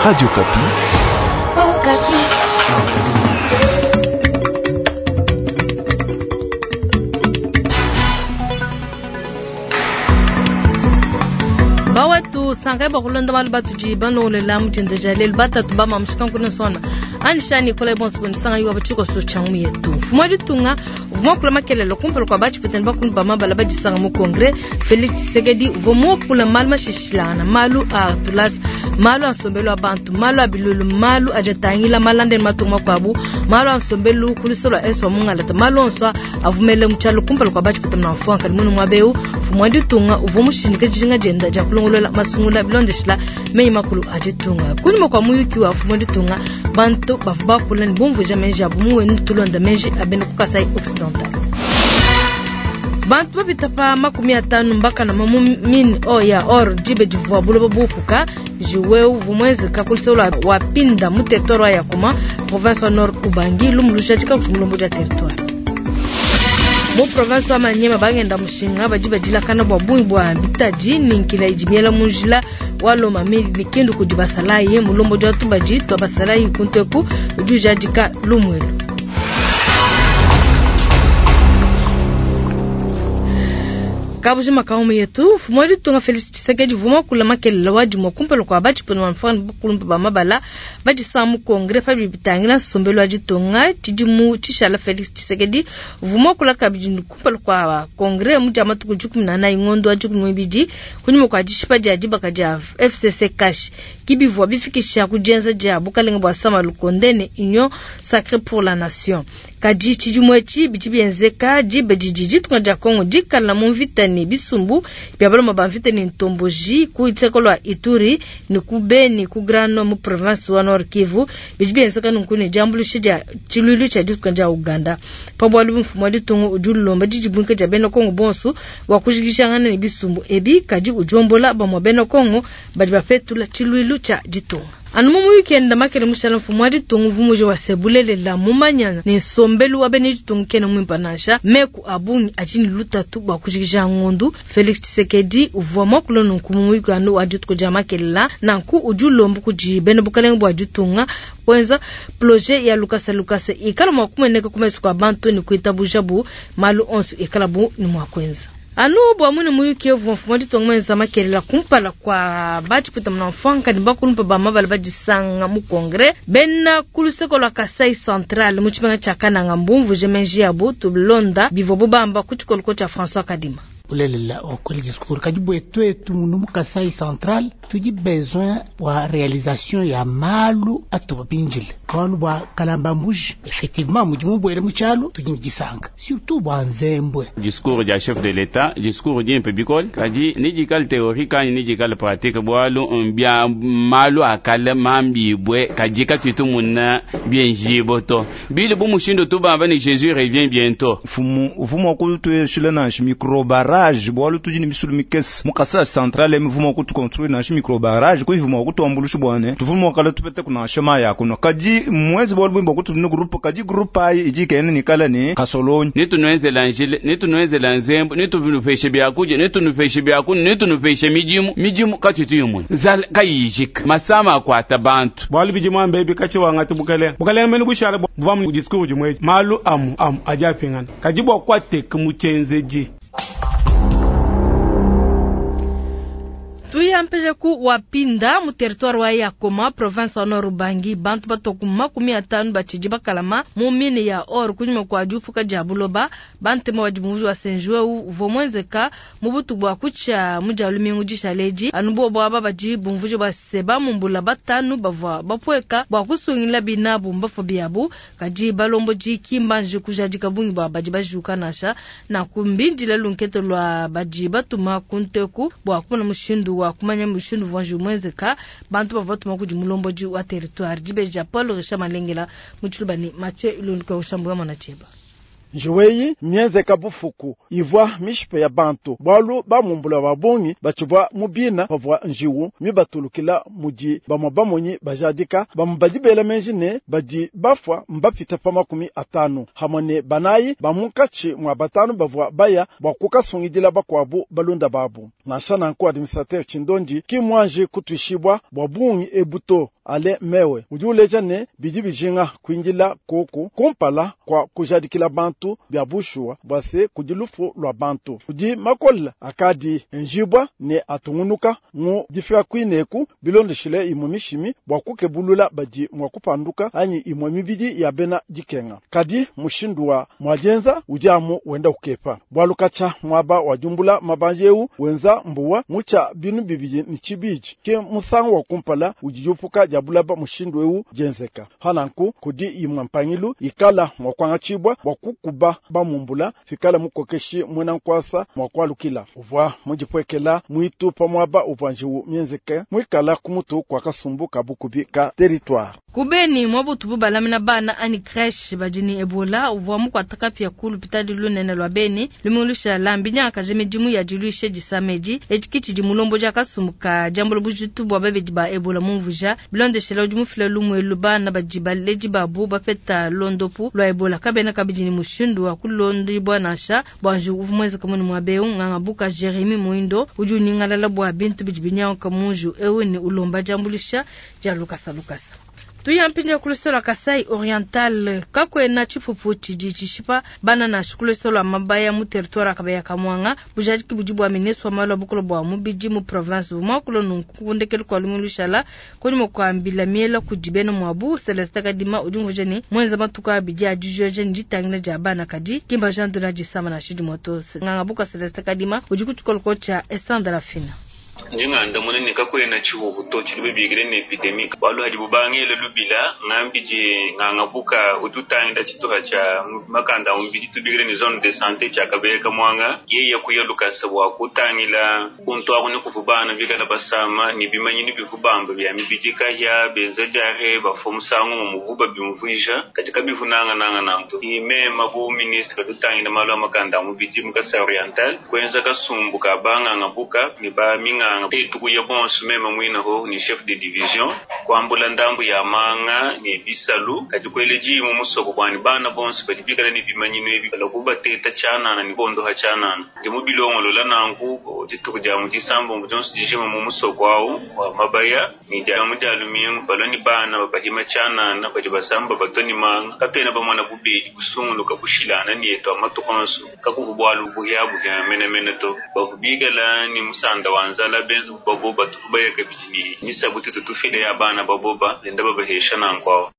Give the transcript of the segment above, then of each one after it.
Radio Okapi. Oh, Bawetu sankai bakulonda malu batudi balongolola mu dinda dia lelu batatu ba mamushika nkuna sona anisha Nicolas bonso bondisanga yuwa batshikoso tshia ngumu yetu. Mfumu wa ditunga uvua muakula makelelo kumpala kua batshipetani bakulu ba mabala badisanga mu Congrès. Felix Tshisekedi uvua muakula malu mashishilangana, malu a tulasa, malu a nsombelu wa bantu, malu a bilulu, malu adi atangila malanda ne matunga makuabu, malu a nsombelu ku luse lua Est wa mungalata, malu onso avumele mu tshialu kumpala kua batshipetani na mfuanka munu muaba eu. Mfumu wa ditunga uvua mushindike dijinga dienda dia kulongolola masungula bilondeshila meyi makulu a ditunga. Kunyima kua muyuki wa mfumu wa ditunga, bantu bavua bakula ne bumvuija meji abu mu wenu tulonda meji a bena ku Kasai Occidental. Bantu bapita pa 50 mbakanama mu mine o ya or dibe divua buloba bupuka. Njiwu uvua muenzeka ku luseke lua Wapinda mu territoire wa Yakoma, province wa Nord Ubangi, lumu lujadika kudi mulombodi wa territoire. Mu province wa Maniema bangenda mushinga badi badilakana bua bungi bua bitadi ne nkila idi miela mu njila wa Lomami mikindu kudi basalayi. Mulombodi wa tubadi tua basalayi kuntu eku udi ujadika lumu elu. Kabujima ka yetu mfumu wa ditunga Felix Tshisekedi uvua muakula makelela wa dimue kumpala kua batshipuna ba mfranga bakulumpe ba mabala badisanga mu Congrès pa bidi bitangila nsombelu wa ditunga. Tshidimu tshishala Felix Tshisekedi uvua muakula kabidi kumpala kua Congrès mu dia matuku 14 ngondo wa 12 kunyima kua dishipa dia dibaka dia FCC Cash kibivua bifikisha ku dienza dia bukalenge bua Sama Lukonde ne Union Sacrée pour la Nation. Kadi tshidimu etshi bidi bienzeka diba didi ditunga dia Congo dikala mu mvita ne bisumbu bia baloma ba mvita ne ntomboji ku luseke lua Ituri ne ku Beni ku Grand Nord mu province wa Nord Kivu. Bidi bienzeka nunku ne diambuluisha dia tshiluilu tshia ditunga dia Uganda. Pa bualu mfumu wa ditunga udi ulomba didibuinka dia bena Congo bonso bua kujikijangana ne bisumbu ebi, kadi udiombola bamue bena Congo badi bapetula tshiluilu tshia ditunga. Anu mu weekend makele mushala mfumu wa ditunga uvua muji wa se bulelela mumanya ne nsombelu wa bena ditunga kena muimpe nansha meku a bungi adi ne lutatu bua kujikija ngondu. Felix Tshisekedi uvua muakula nunku mu weekend wa dituku dia makelela, nanku udi ulomba kudi bena bukalenge bua ditunga kuenza projet ya lukasa lukasa ikala mua kumueneka ku mesu kua bantu ne kuitabuja bu malu onso ikala bu ne mua kuenza. Anu bua mwine muyuki uvua mfumu wa ditunga muenza makelela kumpala kua batshipeta muna mfuanka ne bakulumpe ba mabala badisanga mu Congrès bena ku luseke lua Kasai Central mu tshimenga tshia Kananga mbumvuje meji yabu tulonda bivua bubamba ku tshikoloko tshia François Kadima. Bulelela wakweli discours kadi bwetu munu mu Kasai Central tudi besoin bua réalisation ya malu atuba binjile bualu bua kalamba mbuji effectivement mudi mubwele mu tshialu tudi ne disanka surtout bua nzembwe. Discours dia chef de l'état, discours dimpe bikole, kadi nidikale théorique anyi nidikale pratique, bualu mbia malu akale mambibwe kadi katutu muna bienjibo to bili bu mushindu tubamba ni Jésus revient bientôt. Mfumu uvuma okutuyeshile nansha micro barrage bualu tudi ne misulu mikese mu Kasai Central emivuma okutuconstruire nansha micro barrage kuivuma okutuambulusha bwane tuvuma okala tupete kunansha mayi akuno kadi mwezi bualu bwimba okutudine groupe kadi groupe ayi idi kene nikala ne kasolonyi. Netunuenzela njile, netunuenzela nzembo, netunupeshe byakudia, netunupeshe byakunwa, netunupeshe midimu midimu katutu yimwe nzala kayijika masama akwata bantu. Bualu bidi mwambe ebi katshi wangati bukalenge bukalenge mene bushala buva mu discours dimwe malu amu amu adi apingana kadi bua kuateka mu tshienzedi. Tuyampeje ku Wapinda mu territoire wa Yakoma province wa Nord Ubangi bantu batoku 50 batshidi bakalama mu mine ya or kunyima kua diupuka dia buloba. Bantema badi muvu wa Senjwe uvua muenzeka mu butuku bua kutshia mu dia lumingu dishaleji anu bobo aba badi bumvuje bua se bamumbula batanu bavua bapueka bua kusungila binabu mbafo biabu kadi balombodi kimbanje kujadika bungi bua badi bajuka nansha na kumbindila lunkete lua badi batuma kunteku bua kumona mushindu wa kumanya mushindu uvua muenzeka. Bantu bavua batuma kudi mulombodi wa territoire dibeji dia Paul Richard Malengela mu tshiluba ne Mathieu Ilunduka ushambuya mwana tshieba. Njiwu eyi mienzeka bufuku ivua mishipe ya bantu bwalu bamumbula ba bungi batshivua mu bina pavua njiwu mibatulukila mudi bamwe bamonyi bajadika bamwe badi bela menji ne badi bafwa mbapita pa 50 hamwe ne banayi ba munkatshi mwa batanu bavua baya bwa kukasungidila bakwabu balunda babu. Nansha nanku administrateur Tshindondi ki mwanji kutwishibwa bwa bungi ebuto ale mewe udi uleja ne bidi bijinga kuindila koku kumpala kwa kujadikila bantu bya bushuwa bwa se kudi lufu lwa bantu. Kudi makola akadi njibwa ne atungunuka mu difika kwineku bilondeshile imwe mishimi bwa kukebulula badi mwa kupanduka anyi imwe mibidi ya bena dikenga. Kadi mushindu wa mwajenza udi amu wenda kukepa. Bwalu kacha mwaba wa jumbula mabanje eu wenza mbuwa mucha binu bibidi ni chibiji ke musango wa kumpala ujijupuka jabulaba mushindu eu jenzeka. Hananku kudi imwe mpangilu ikala mwa kwangachibwa bwa kukuba bamumbula fikala mukokeshi mwena nkwasa mwa kwalukila. Uvwa mujipwekela mwitu pa mwaba uvwa njiwu mienzeke mwikala kumutu kwa kasumbu kabukubi ka territoire. Kubeni mwabutu balamina bana ani creche bajini Ebola uvwa mukwataka pia kulu pitadi lunene lwa beni limulusha lambi nyaka jemidimu ya dilushe disameji echikichi di mulombo ja kasumbu ka jambo bujitu bwa babedi ba Ebola mumvuja bilondeshela udi mufila lumwe lubana bajiba leji babu bapeta londopu lwa Ebola kabena kabidi ni mushindu wa kulondi bwa nasha bwanju uvumweza kamuni mwabeu nganga buka Jeremy Muindo udi uningalala bwa bintu bijibinyao kamunju ewe ni ulomba jambulisha ja lukasa lukasa. Tuyampinja kulusolo Kasai Oriental kakwena chifufu chiji chishipa bana na shukulusolo mabaya mu territoire akabaya kamwanga bujadiki bujibu wa ministre wa malu bukolo bwa mubiji mu province mwakulo nunkundekelu kwa lumushala kwenye mkwambila miela kujibena mwabu Celeste Kadima ujunguje ni mwenza matuka abiji ajujoje njitangina ja bana kadi kimba Jean de la jisama na shidi moto nganga buka Celeste Kadima ujikuchukolo kocha Esanda la fina. Njinganda munene kakwena chihuhu to chilibe bigire ne epidemic balu hadi bubangele lubila ngambije ngangabuka ututanga chituha cha makanda umbiji tubigire ni zone de santé cha kabeka mwanga yeye kuyeluka sabwa kutangila kuntu akune kuvubana bikala basama ni bimanyi ni bivubamba bya mibiji kahya benza jare bafumusango mu muvuba bimvija katika bivunanga nanga nanto ime mabu ministre tutangila malu makanda mubiji mukasa oriental kwenza kasumbu kabanga ngabuka ni ba minga tukuya bonso meme mwina ho ni chef de division kwambula ndambu ya manga ni bisalu katikweleji mu musoko kwani bana bonso badibikala ni bimanyino ebi balakuba teta chana na nibondo ha chana ndi mu bilongolo la nanku dituku dia mu disambo mu jonso dijima mu musoko awu wa mabaya ni dia mu dia lumingu baloni bana babahima chana na badi basamba batoni manga katena bamwana bubedi kusunguluka kushilana ni eto amatukonso kakubwalu buya buya mene mene to bakubigala ni musanda wanza la benzu baboba tukubaya kabijini nisabuti tutufile ya bana baboba lenda babahesha nankwawa.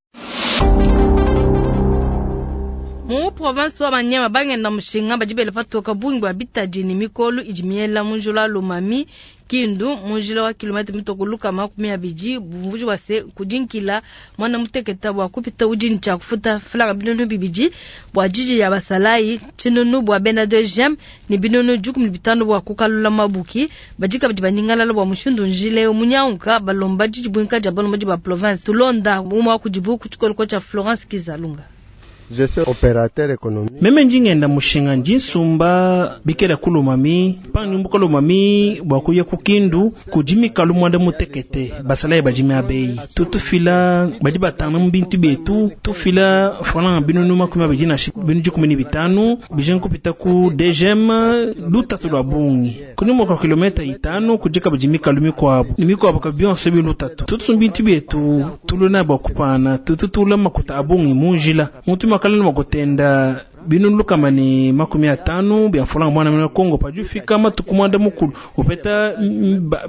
Mu province wa Manyema bangenda mushinga bajibele patoka bungi bwa bitadi ni mikolo ijimiela munjula lumami Kindu munjila wa kilomita mitokuluka 20 bumvuji wase kujinkila mwana muteketa bwa kupita ujini cha kufuta flaga binunu bibiji bwa jiji ya basalai chinunu bwa bena de jem ni binunu jukum bitano bwa kukalula mabuki bajika bajibanyingala bwa mushindu njile munyaunka balomba jiji bwinka ja balomba ba province tulonda umwa kujibu kuchikolo cha Florence Kizalunga. Je suis opérateur économique. Meme njingenda mushinga njinsumba bikela kulumami panumbuka lumami bwakuya kukindu kujimika lumwanda mutekete basala bajimi abeyi tutufila badi batanga mu bintu betu tufila fana binunu 25 na binu 15 bijen kupita ku DGM lutatu lwa bungi kunyuma kwa kilomita 5 kujika bajimika lumi kwabo nimiko kabionse bilutatu tutusumba bintu betu tuluna bwakupana tututula makuta abungi munjila mutu makalana makutenda binu lukama ni 50 bya fulanga mwana mwana Kongo pajufika matuku mwanda mukulu upeta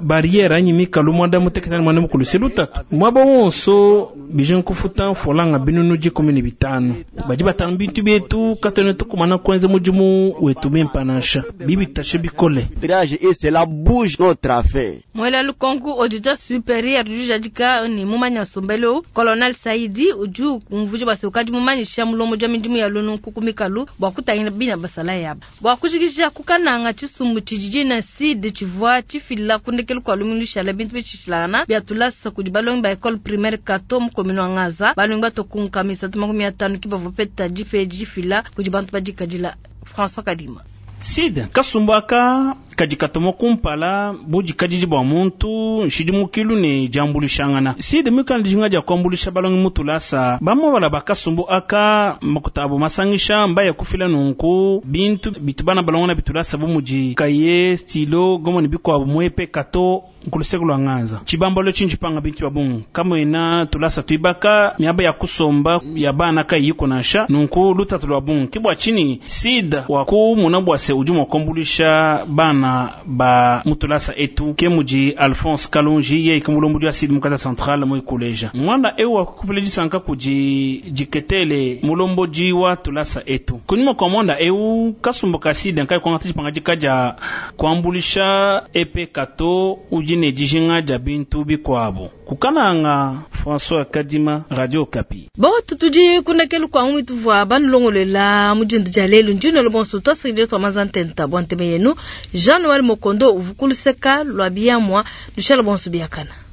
barriere anyi mikalu mwanda muteketani mwana mukulu selutatu mwaba wonso bijen kufuta fulanga binunu 15 baji batanga bintu betu katone tukumana kwenze mujumu wetu bimpanasha bibitashe bikole virage et cela bouge notre affaire. Mwela lukonku auditeur supérieur du jadika ni mumanya sombelo colonel Saidi uju kumvuji basukadi mumanyisha mulomo jamidimu ya lunu kukumika mikalu bua kutangila bina basalayi aba. Bua kujikija ku Kananga, tshisumbu tshidi dina SID tshivua tshifila ku ndekelu kua lumingu lushala bintu bishilashilangana bia tulasa kudi balongi ba Ecole Primaire Kato mu commune wa Ngaza. Balongi batue ku nkama 350 ke bavua bapeta dipa edi difila kudi bantu badikadila. François Kadima. SID kasumbu aka kadi katuma kumpala budikadidi bua muntu, nshidimukilu ne diambuluishangana. SID muikale ne dijinga dia kuambuluisha balongi mu tulasa, bamue ba kasumbu aka makuta abu masangisha mbaya kufila nunku bintu bitu bana balonga nabi tulasa bu mudi kaye, stylo, gomme ne bikuabu mu EP Kato nkuluseke lua Nganza. Tshibambalu etshi ntshipanga bintu bia bungi, kamuena tulasa tuibaka, miaba ya kusomba ya bana kayiyiku nansha, nunku lutatu lua bungi. Ke bua tshinyi SID wakumona bua se udi mua kuambuluisha bana ba mu tulasa etu, ke mudi Alphonse Kalonji yeye ke mulombodi wa SID mu Kasai Central muikuleja. Muanda eu wakufila disanka kudi Diketele mulombodi wa tulasa etu. Kunyima kua muanda eu, kasumbu ka SID nkayi kuangata dipangadika dia kuambuluisha EP Kato udi ne dijinga dia bintu bikuabu. Ku Kananga, François Kadima, Radio Okapi. Botu tudi ku ndekelu kua ngumu ituvua banulongoluela mu dinda dia lelu. Ndi nuela bonso tuasakidila tua manza ntenta bua ntema yenu. Jean Noel Mokondo uvua ku luseka lua biamua. Nushala bonso biakana.